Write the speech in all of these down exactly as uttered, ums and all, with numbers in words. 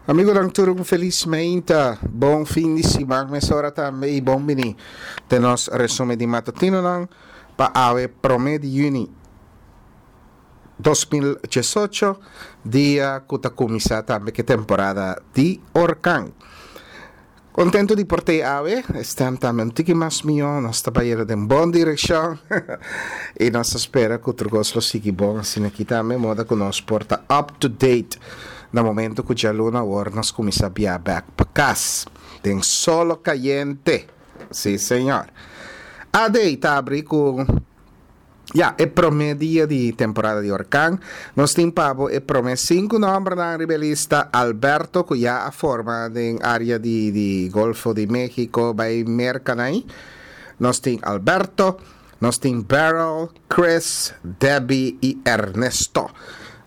Amigonan tur un felis meinta, bon fin di siman mesora tambe i bon bini den nos resumen di matutinonan pa awe prome di yüni dos mil diesocho, dia ku ta kuminsá tambe ku e temporada di orkan. Contento di por tei awe, e stem tambe un tiki mas mihó, nos ta bayendo den bon direkshon i nos ta spera ku tur kos lo sigui bon asina aki tambe, moda ku nos por ta up to date na momento ku djaluna awor nos kuminsá bia bèk pa kas den solo kayente. Sí señor. A D ta abri ku Ya, e promé dia di temporada di orkan. Nos tin pa bo e promé sinku nòmbernan riba e lista, Alberto, ku ya a forma den área di di Golfo di México bai Merka nai. Nos tin Alberto, nos tin Beryl, Chris, Debbie i Ernesto.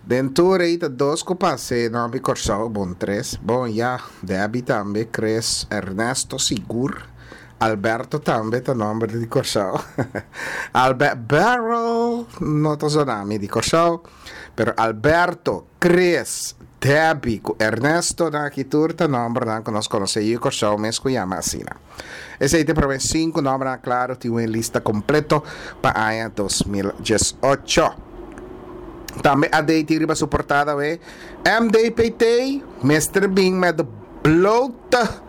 Den tur ei ta dos ku pasa e nòmber di Kòrsou, bon tres. Bon ya, Debbie tambe, Chris, Ernesto sigur. Alberto tambe ta nomber di Kòrsou. Albert Barrel no ta zona mi di Kòrsou, pero Alberto, Chris, Debbie ku Ernesto nan aki tur ta nombernan ku nos konosé yu Kòrsou mes ku yama asina. Esei ta e promé sinku nombernan klaro tin un lista kompleto pa aña dos mil diesocho. Tambe A D tin riba su portada we M D P T mester bin met de blote.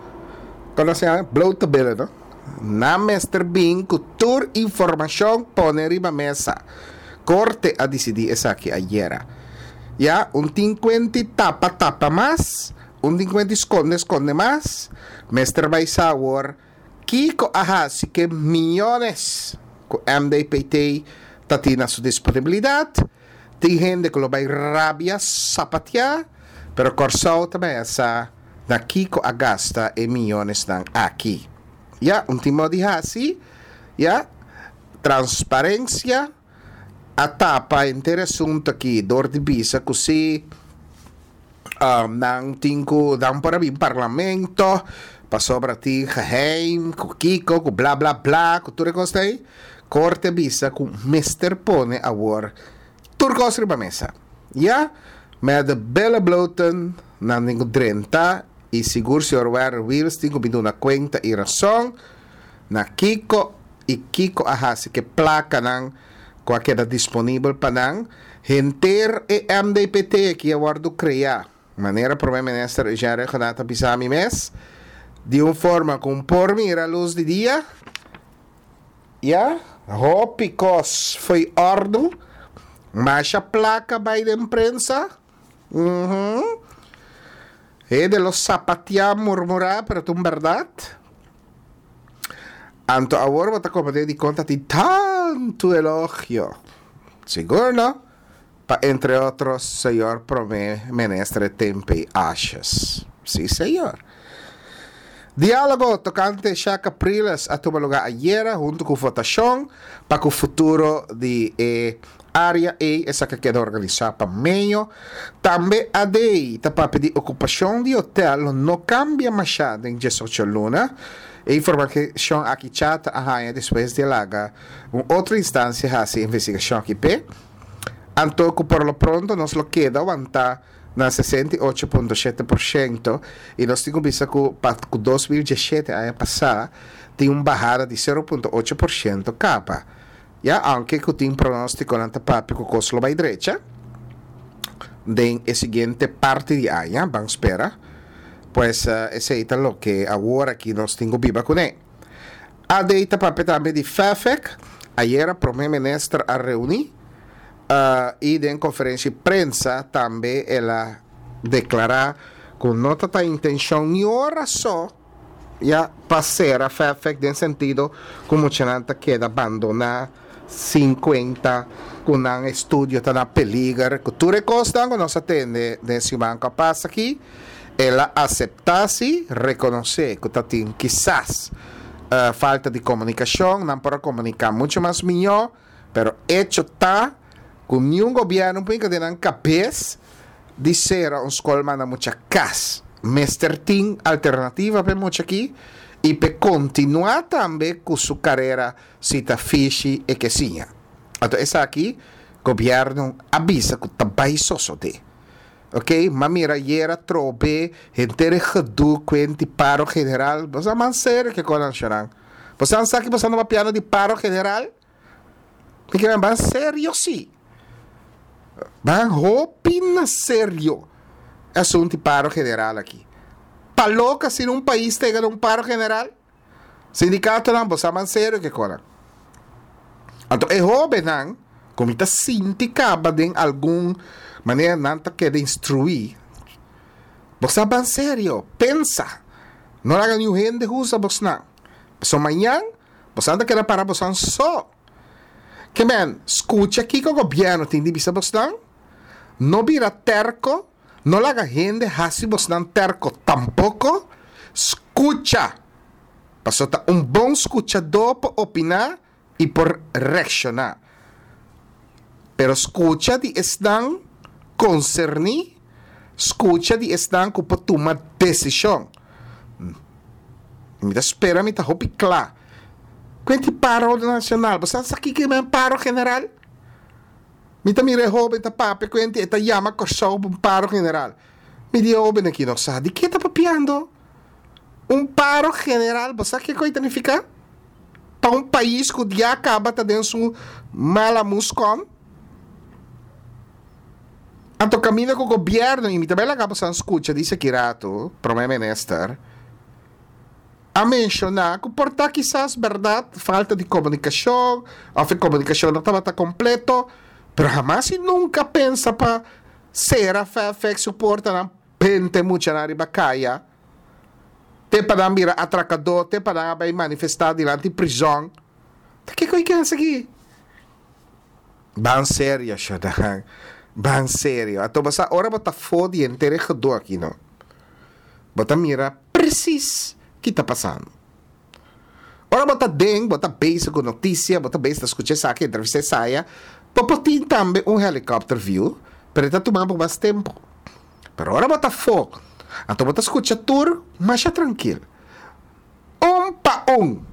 Kon nos yama? Blote billen, no? Nan mester bin ku tur informashon pone riba mesa. Korte a disidí esaki ayera. Ya, un tin kuenti tapa tapa mas, un tin kuenti skonde skonde mas. Mester bai sa awor kiko a hasi ku e miyones ku M D P T ta tin na su disponibilidat. Tin hende ku lo bai rabia sapatia, pero Kòrsou ta bai a sa na kiko a gasta e miyonesnan aki. Ya, un tin modo di hasi, ya, transparencia a tapa henter e asunto aki dor di bisa ku si, um, nan tin ku nan por a bin parlamento pasobra tin geheim ku kiko ku bla bla bla ku tur e kos ta ei. Korte bisa ku mester pone awor tur kos riba mesa. Ya, met de billen bloten nan tin ku drenta i sigur señor Werner Wiels tin ku bin duna kuenta i rason na kiko i kiko a hasi ku e plakanan ku a keda disponibel pa nan. Henter e M D P T aki a wòrdu kreá, manera Prome Minister Eugène Rhuggenaath a bisa mi mes, di un forma ku un por mira lus di dia. Ya, hopi kos foi òrdu, masha plaka bai den prensa. Uhum. Hende lo sapateá, murmurá, pero ta un bèrdat. Anto awor bo ta komprendé dikon ta tin tantu elogio. Sigur no? Pa entre otros señor Prome Minister e tempe Asjes. Sí, señor. Diálogo tokante Sha Capriles a tuma lugá ayera huntu ku votashon pa ku futuro di e área ei esaki a keda organisá pa meio. Tambe A D ta papia di okupashon di hotel lo no kambia mashá den diesocho luna. E informashon aki Chata a haña despues di a laga un otro instansia hasi investigashon aki p'e. Anto ku por lo pronto nos lo keda wantá na sesenta i ocho punto shete por shento i nos tin ku bisa ku pa ku dos mil diesshete aña pasá tin un bahada di sero punto ocho por shento kaba. Ya, aunke ku tin pronóstikonan ta papia ku kos lo bai drecha den e siguiente parti di aña, ban spera. Pues esei ta loke awor aki nos tin ku biba kuné. A D ta papia tambe di F E F E C. Ayera Prome Minister a reuní i den konferensia di prensa tambe el a deklará ku no ta ta intenshon ni ora so ya pa sera F E F E C den sentido ku muchanan ta keda bandoná sin kuenta ku nan estudio ta na peliger, ku tur e kosnan ku nos a tende den siman ku a pasa aki. El a aseptá si, rekonosé ku ta tin kisas falta di komunikashon, nan por a komuniká muchu mas mihó, pero echo ta ku niun gobièrnu por hinka den nan kabes di sera un skol manda mucha kas. Mester tin alternativa pa e mucha aki i pa e kontinuá tambe ku su karera si ta fishi e ke siña. Anto esaki gobièrnu a bisa ku ta bai sosodé. Ok, m'a mira ayera trobe henter e gedoe kuenti paro general. Boso a man serio ke kos nan shonnan. Boso sa ki boso anda papiando di paro general? Mi ke men ban serio si. Ban hopi na serio e asuntu di paro general aki. Pa loka si un pais ta yega na un paro general? Sindikatonan, boso a man serio ke kos nan. Anto e hóbennan ku mi ta sinti kaba den algun manera nan ta keda instruí, bo sa ban serio, pensa. No laga niun hende usa bosnan. Pasobra mañan bosan ta keda para bosan so. Ke men, skucha kiko gobièrnu tin di bisa bosnan. No bira tèrko, no laga hende hasi bosnan tèrko tampoko. Skucha! Pasobra ta un bon skuchadó por opiná i por reakshoná. Pero skucha di esnan konserní, skucha di esnan ku por tuma desishon. Mi ta spera mi ta hopi kla. Kuen tin paro nashonal? Bo sa sa kiko men paro general? Mi ta mira e hoben ta papia kuenti e ta yama Kòrsou pa un paro general. Mi di e hoben aki no sa di ke ta papiando. Un paro general bo sa kiko e ta nifiká? Pa un pais ku ya kaba ta den su mala muskon. Anto kaminda ku gobièrnu, i mi ta bai laga boso skucha di esaki ratu, Prome Minister a menshoná ku por ta kisas bèrdat falta di komunikashon òf e komunikashon no tabata kompleto, pero hamas i nunka pensa pa sera Fairfax su portanan bente muchanan riba kaya. Te pa nan bira atrakadó, te pa nan a bai manifestá dilanti prizòn. Ta kiko i ke hasi aki? Ban serio, Shadan. Ban serio. Anto bo sa, ora bo ta afó di henter e gedoe aki no, bo ta mira presis ki ta pasando. Ora bo ta den, bo ta bezig ku notisia, bo ta bezig ta skucha esaki, entrevista esaya, bo por tin tambe un helicopter view, pero e ta tuma bo mas tempu. Pero ora bo ta afó, anto bo ta skucha tur masha trankil. Un pa un.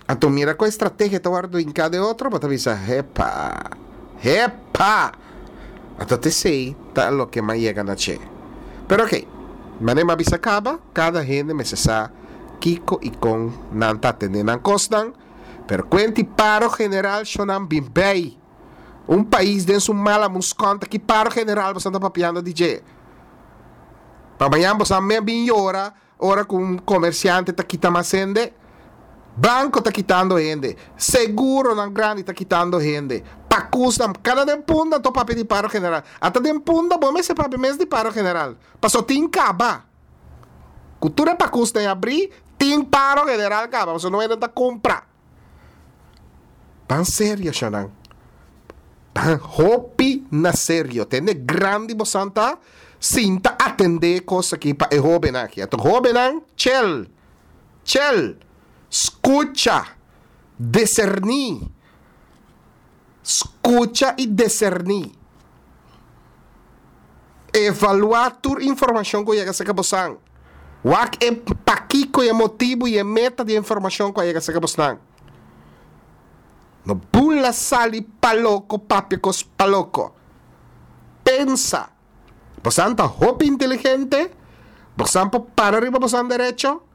Anto mira ku e strategia ta wòrdu hinká den otro, bo ta bisa, Hepa! Hepa! Anto ta esei ta loke m'a yega na dje. Pero okey, manera m'a bisa kaba, kada hende mester sa kiko i kon nan ta atendé nan kosnan, pero kuenti paro general shonan bin bei. Un pais den su mala muskon ta ki paro general boso ta papiando di dje? Pa mañan boso a me bin yora ora ku un komersiante ta kita mas hende? Banko ta kitando hende, seguronan grandi ta kitando hende, pakusnan, kada den punda to papia di paro general. Ata den punda bo mester papia mes di paro general, paso tin kaba. Ku tur e pakusnan e abri, tin paro general kaba, pasobra no hende ta kumpra. Ban serio shanan. Ban hopi na serio. Tende grandi bosan ta sinta atende e kos aki pa e hobennan aki. Anto hobennan chel, chel, skucha, deserní. Skucha i deserní. Evaluá tur informashon ku yega serka bosan. Wak e pakiko i e motibu i e meta di e informashon ku a yega serka bosnan. No bula sali pa loko papia kos pa loko. Pensa. Bosan ta hopi inteligente, bosan por para riba bosan derecho,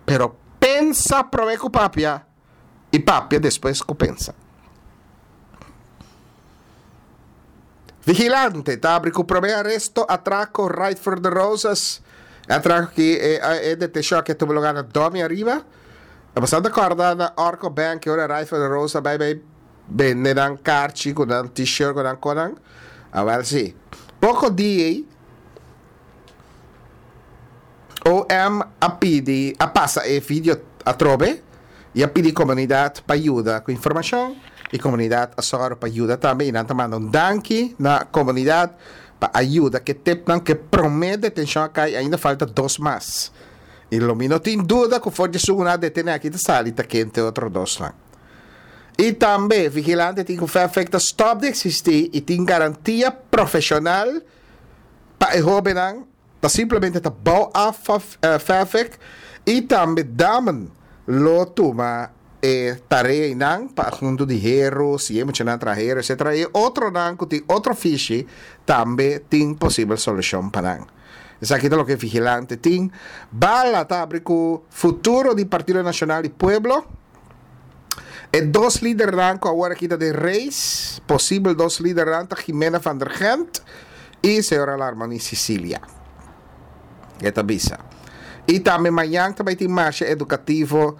pero pensa promé ku papia i papia despues ku pensa. Vigilante ta abri ku promé aresto atrako Ride for the Roses. E atrako aki e e detenshon aki a tuma lugar na Domi Ariba. E pasado ta kòrda na Orco Bank e ora Ride for the Roses a bai bai bende nan karchi ku nan t-shirt ku nan konan. Awèl si. Poko dia ei O M a pidi a pasa e video atrobe y a pidi comunidad pa yuda cu informacion y comunidad a sòru pa yuda tambe y nan ta manda un danki na comunidad pa a yuda cu e tipnan cu e prome detencion a cay ainda falta dos mas y lo mi no tin duda cu for di esun cu nan a detene aki ta sali ta kente otro dosnan. Y tambe vigilante tin cu Fairfax ta stop di existi y tin garantia profesional pa e hobennan. Ta simplemente ta bou af Fairfax y tambe Damen lo tuma E tareanan pa huntu di heru, si e muchanan traha heru, etcétera. I otronan ku tin otro fishi tambe tin posibel solushon pa nan. Esaki ta loke Vigilante tin. Bala ta habri ku futuro di Partido Nashonal di Pueblo. E dos lidernan ku awor aki ta den race, posibel dos lidernan, ta Jimena van der Gent i señora Larmonie Cecilia. E ta bisa. I tambe mañan tambe tin marshe edukativo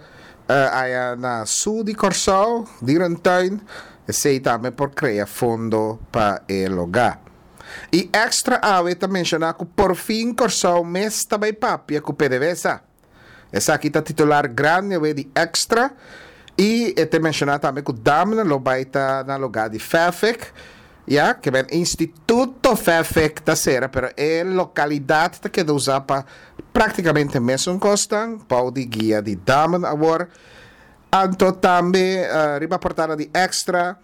uh, aya na sur di Kòrsou, Dierentuin, esei tambe por krea fondo pa e lugá. I Extra awe ta menshoná ku porfin Kòrsou mes ta bai papia ku P D V S A. Esaki ta titular grandi di Extra i e ta menshoná tambe ku Damen lo bai ta na lugá di F E F E C. Ya, ke men Instituto F E F E C ta sera, pero e lokalidat ta keda usa pa práktikamente mesun kos, bou di guia di Damen awor. Anto tambe uh, riba portada di Extra,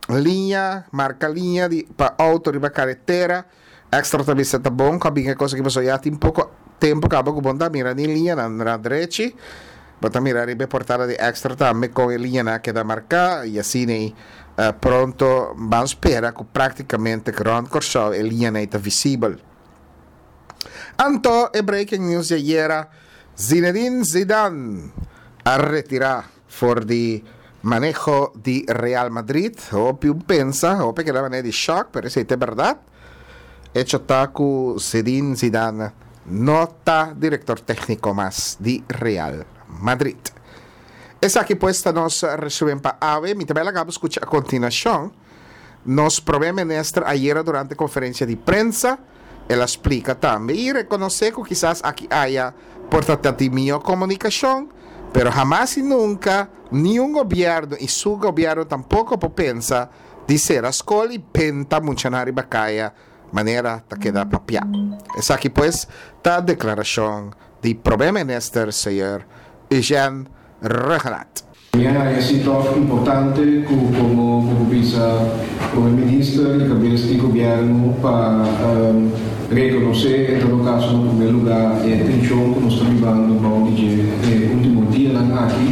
liña, marka liña di pa outo riba karetera. Extra tambe ta bon, ku e kos ku bo ya tin poko tempu kaba ku bo n' ta mira ni liña na na drechi. Bo ta mira riba portada di Extra tambe ku e liñanan keda marká i asina uh, pronto ban spera ku práktikamente rònt Kòrsou e liña ta visibel. Anto, e breaking news di ayera, Zinedine Zidane a retirá for di maneho di Real Madrid. Hopi a pensa, hopi a keda manera di shock, pero esei ta berdat. Hecho ta ku Zinedine Zidane no ta direktor tékniko mas di Real Madrid. Esaki pues ta nos resumen pa awe. Mi tambe a skucha a kontinuashon. Nos promé minister ayera durante konferensia di prensa, el a splika tambe i rekonosé ku kisas aki aya por ta di mihó komunikashon, pero hamas i nunka ningun gobièrnu i su gobièrnu tampoko por pensa di sera skol i benta muchanan riba kaya manera ta keda papiá. Esaki pues ta deklarashon di promé minister señor Eugene Rhuggenaath. Ja, esei ta importante ku komo komo bisa komo minister i kabes di gobièrnu pa um, rekonosé en todo kaso, na promé lugá, e tenshon ku nos ta bibando e último dianan aki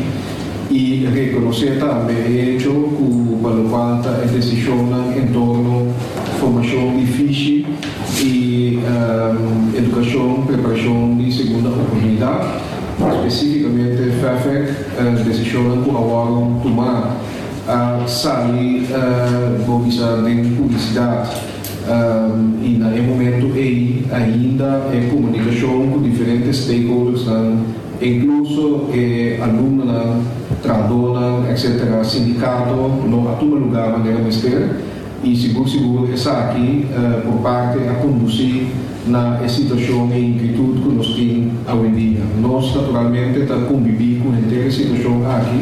i rekonosé tambe e hecho ku pa loke ta e desishon en torno formashon di fishi i um, edukashon, preparashon di segunda oportunidat, spesífikamente F E F E C, uh, desishon ku awor tuma a sali, uh, ban bisa, den publisidat um, i na e momento ei ainda e komunikashon ku diferente stakeholders, inkluso eh, alumnonan, trahadónan, etcétera, sindikato, no a tuma lugá manera mester i sigur sigur esaki uh, por parte a kondusí na e situashon i inkietut ku nos tin awendia. Nos naturalmente ta konbibí ku e situashon aki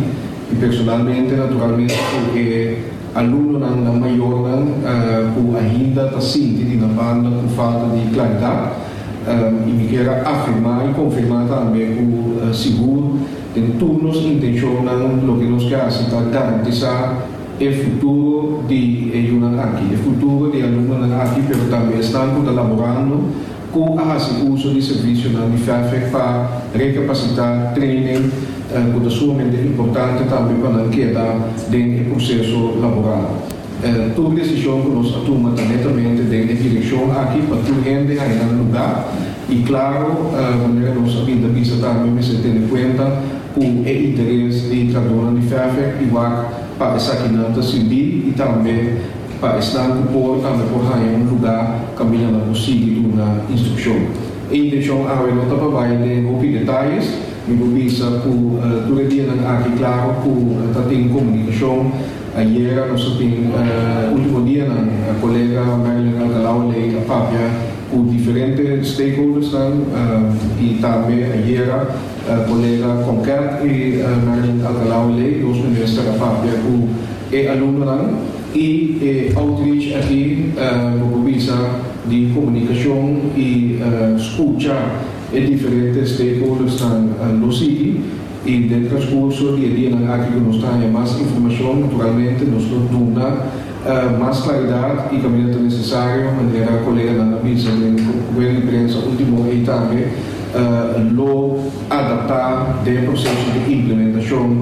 i personalmente naturalmente ku e alumnonan, nan mayornan uh, ku ainda ta sinti di nan banda ku falta di klaridat um, i mi ke afirmá i konfirmá tambe ku uh, sigur den tur nos intenshonnan loke nos ke ta garantisá e futuro di e yunan aki, e futuro di alumnonan aki, pero tambe esnan laborando ku a hasi uso di servisionan di F E F E C pa rekapasitá, training, uh, ku ta sumamente importante tambe pa nan keda den e proseso laboral. Uh, tur desishon ku nos a tuma netamente den e direkshon aki pa tur hende haña nan lugá i klaro, uh, manera nos a bin ta bisa tambe, mester tene kuenta ku e interes di trahadónan di F E F E C i wak pa esakinan ta sirbi i tambe pa esnan ku por tambe por haña un lugá kaminda nan por sigui duna instrukshon. E intenshon awe no ta pa bai den hopi detaye, mi por bisa ku uh, tur dianan aki klaro ku uh, tin komunikashon. Ayera nos tin uh, último dianan kolega Marilyn Alcalá-Wallé a papia ku diferente stakeholders nan, uh, i tambe ayera uh, kolega Konket i uh, Marilyn Alcalá-Wallé, dos minister, a papia ku e alumnonan i e outreach aki, uh, bisa, di komunikashon i uh, skucha e diferente stakeholders nan uh, lo sigui i den transkurso di dianan aki ku nos tin mas informashon, naturalmente nos lo duna uh, mas klaridat i kaminda nesesario, manera koleganan a bisa den rueda di prensa último i tambe uh, lo adaptá e proseso di implementashon.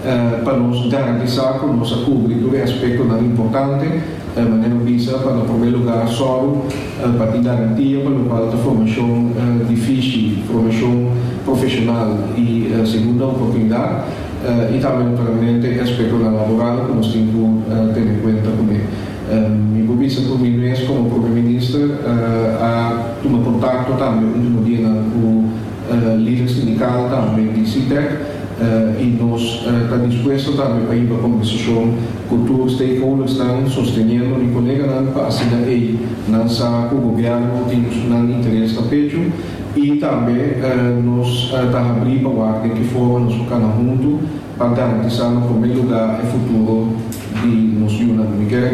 uh, pa nos garantisá ku nos a kubri tur aspektonan importante, uh, manera bisa, pa na promé lugá sòru uh, pa tin garantia pa loke ta formashon uh, di fishi, formashon profeshonal i uh, segunda oportunidat, uh, i tambe naturalmente aspektonan laboral ku nos tin ku uh, tene na kuenta kuné. Um, mi por bisa ku mi mes komo promé minister uh, a tuma kontakto tambe último dia ku uh, lider sindikal tambe di Sitek uh, i nos ta uh, dispuesto tambe pa hiba kombersashon ku tur stakeholders nan sosteniendo mi koleganan pa asina ei nan sa ku gobièrnu tin nan interes na pechu i tambe uh, nos ta uh, habrí pa wak den ki forma nos kana huntu pa garantisá na promé lugá e futuro di nos yunan. Mi ke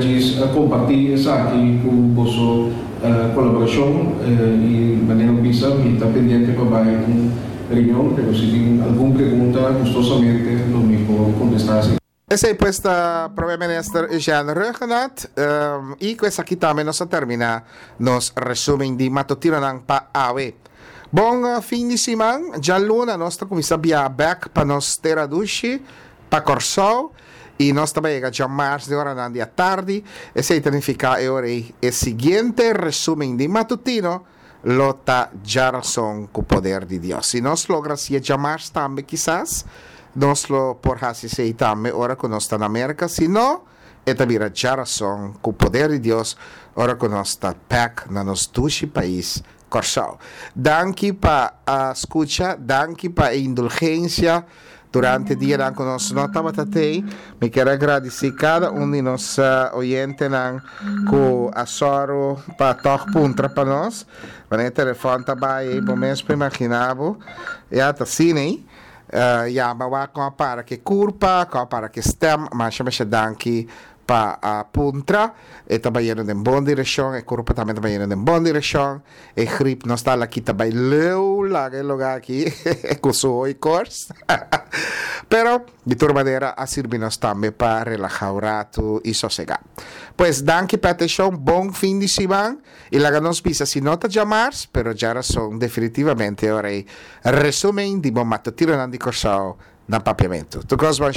kompartí esaki ku boso uh, kolaborashon uh, i manera bisa, mi ta pendiente pa bai un reunion, pero si tin algun pregunta, gustosamente lo mi por kontestá asina. Esei pues ta Promé Minister Eugene Rhuggenaath um, i ku esaki tambe nos a terminá nos resúmen di matutinonan pa awe. Bon uh, fin di siman, djaluna nos ta kuminsá biaha bèk pa nos tera dushi, pa Kòrsou, i nos ta bai yega djamars den oranan di atardi. Esei ta nifiká e siguiente resúmen di matutino lo ta djarason ku poder di Dios. Si nos logra hasié djamars tambe kisas, nos lo por hasi esei tambe ora ku nos ta na Amérika. Si no, e ta bira djarason ku poder di Dios ora ku nos ta bèk na nos dushi pais Kòrsou. Danki pa uh, skucha, danki pa indulgensia durante dia ku nos no tabata tei. Mi ke gradisí kada un di nos uh, oyentenan ku a sòru pa tòg puntra pa nos. Ma telefòn ta bai, bo mes por imaginá bo. Ya ta asina, ne? Uh, ya, ma wa kon para ku kurpa, kon para ku stèm, masha masha danki pa a puntra, e ta bayendo den bon direkshon, e kurpa tambe ta bayendo den bon direkshon, e grip no ta aki ta bai leu laga e lugá aki, ku su koorts. Pero, di tur manera, a sirbi nos tambe pa relahá un ratu i sosegá. Pues, danki pa atenshon, bon fin di siman, i laga nos bisa si no ta djamars, pero djarason definitivamente ora resúmen di bo matutinonan di Kòrsou na Papiamentu. Tur kos bon.